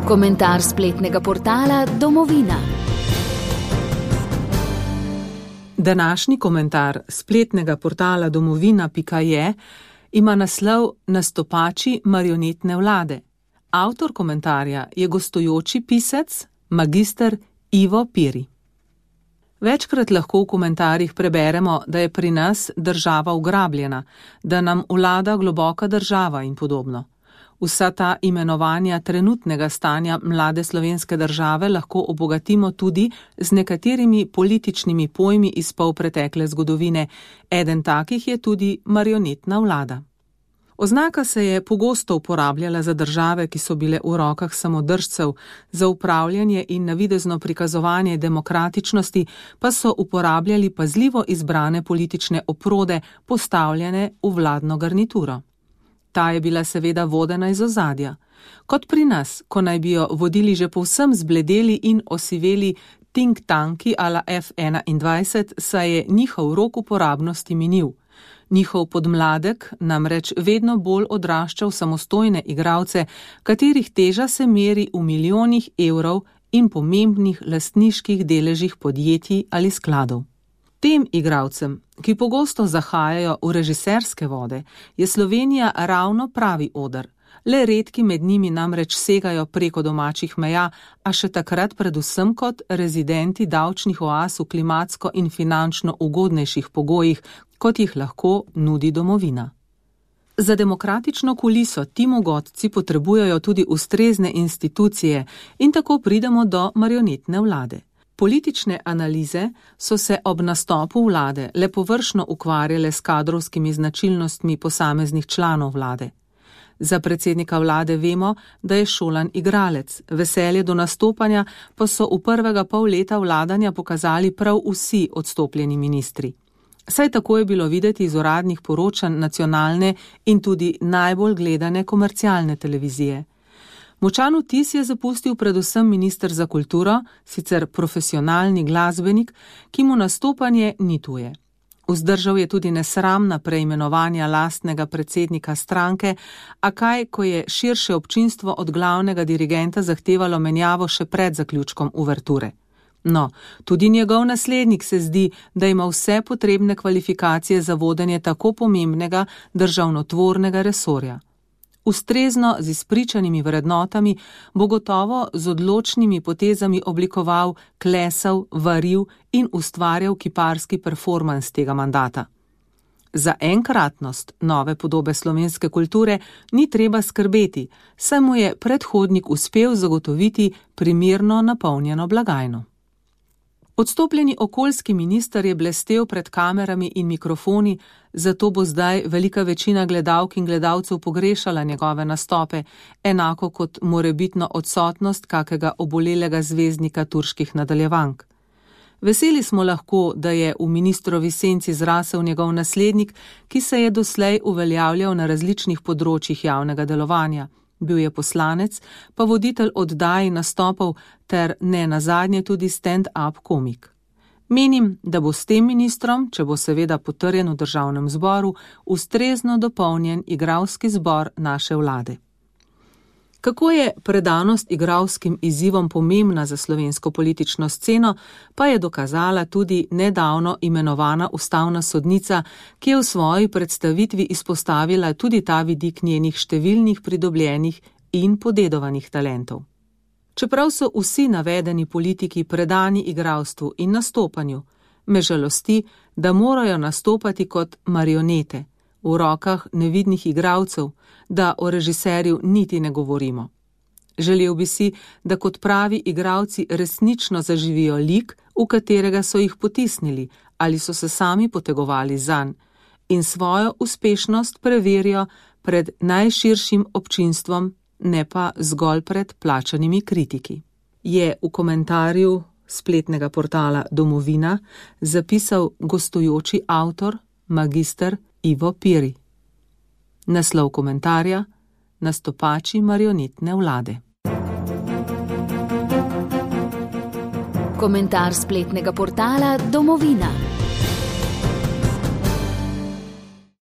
Komentar spletnega portala Domovina. Današnji komentar spletnega portala domovina.je ima naslov Nastopači marionetne vlade. Avtor komentarja je gostujoči pisec, magister Ivo Piri. Večkrat lahko v komentarjih preberemo, da je pri nas država ugrabljena, da nam vlada globoka država in podobno. Vsa ta imenovanja trenutnega stanja mlade slovenske države lahko obogatimo tudi z nekaterimi političnimi pojmi iz polpretekle zgodovine. Eden takih je tudi marionetna vlada. Oznaka se je pogosto uporabljala za države, ki so bile v rokah samodržcev, za upravljanje in navidezno prikazovanje demokratičnosti pa so uporabljali pazljivo izbrane politične oprode, postavljene v vladno garnituro. Ta je bila seveda vodena iz ozadja. Kot pri nas, ko naj bi jo vodili že povsem zbledeli in osiveli think tanki a la F21, saj je njihov rok uporabnosti minil. Njihov podmladek namreč vedno bolj odrašča v samostojne igralce, katerih teža se meri v milijonih evrov in pomembnih lastniških deležih podjetij ali skladov. Tem igralcem, ki pogosto zahajajo v režiserske vode, je Slovenija ravno pravi oder. Le redki med njimi namreč segajo preko domačih meja, a še takrat predvsem kot rezidenti davčnih oaz v klimatsko in finančno ugodnejših pogojih, kot jih lahko nudi domovina. Za demokratično kuliso ti mogotci potrebujejo tudi ustrezne institucije in tako pridemo do marionetne vlade. Politične analize so se ob nastopu vlade le površno ukvarjale s kadrovskimi značilnostmi posameznih članov vlade. Za predsednika vlade vemo, da je šolan igralec, veselje do nastopanja pa so v prvega pol leta vladanja pokazali prav vsi odstopljeni ministri. Saj tako je bilo videti iz uradnih poročanj nacionalne in tudi najbolj gledane komercialne televizije. Močan vtis je zapustil predvsem minister za kulturo, sicer profesionalni glasbenik, ki mu nastopanje ni tuje. Vzdržal je tudi nesramna preimenovanja lastnega predsednika stranke, a kaj, ko je širše občinstvo od glavnega dirigenta zahtevalo menjavo še pred zaključkom uverture. No, tudi njegov naslednik se zdi, da ima vse potrebne kvalifikacije za vodenje tako pomembnega državnotvornega resorja. Ustrezno z izpričanimi vrednotami bo gotovo z odločnimi potezami oblikoval, klesal, varil in ustvarjal kiparski performans tega mandata. Za enkratnost nove podobe slovenske kulture ni treba skrbeti, saj mu je predhodnik uspel zagotoviti primerno napolnjeno blagajno. Odstopljeni okoljski minister je blestel pred kamerami in mikrofoni, zato bo zdaj velika večina gledalk in gledalcev pogrešala njegove nastope, enako kot morebitno odsotnost kakega obolelega zvezdnika turških nadaljevank. Veseli smo lahko, da je v ministrovi senci zrasel njegov naslednik, ki se je doslej uveljavljal na različnih področjih javnega delovanja. Bil je poslanec, pa voditelj oddaj nastopov ter ne nazadnje tudi stand-up komik. Menim, da bo s tem ministrom, če bo seveda potrjen v državnem zboru, ustrezno dopolnjen igralski zbor naše vlade. Kako je predanost igralskim izzivom pomembna za slovensko politično sceno, pa je dokazala tudi nedavno imenovana ustavna sodnica, ki je v svoji predstavitvi izpostavila tudi ta vidik njenih številnih pridobljenih in podedovanih talentov. Čeprav so vsi navedeni politiki predani igralstvu in nastopanju, me žalosti, da morajo nastopati kot marionete, v rokah nevidnih igralcev, da o režiserju niti ne govorimo. Želel bi si, da kot pravi igralci resnično zaživijo lik, v katerega so jih potisnili ali so se sami potegovali zanj, in svojo uspešnost preverijo pred najširšim občinstvom, ne pa zgolj pred plačanimi kritiki. Je v komentarju spletnega portala Domovina zapisal gostujoči avtor, magister Ivo Piri. Naslov komentarja: Nastopači marionetne vlade. Komentar spletnega portala Domovina.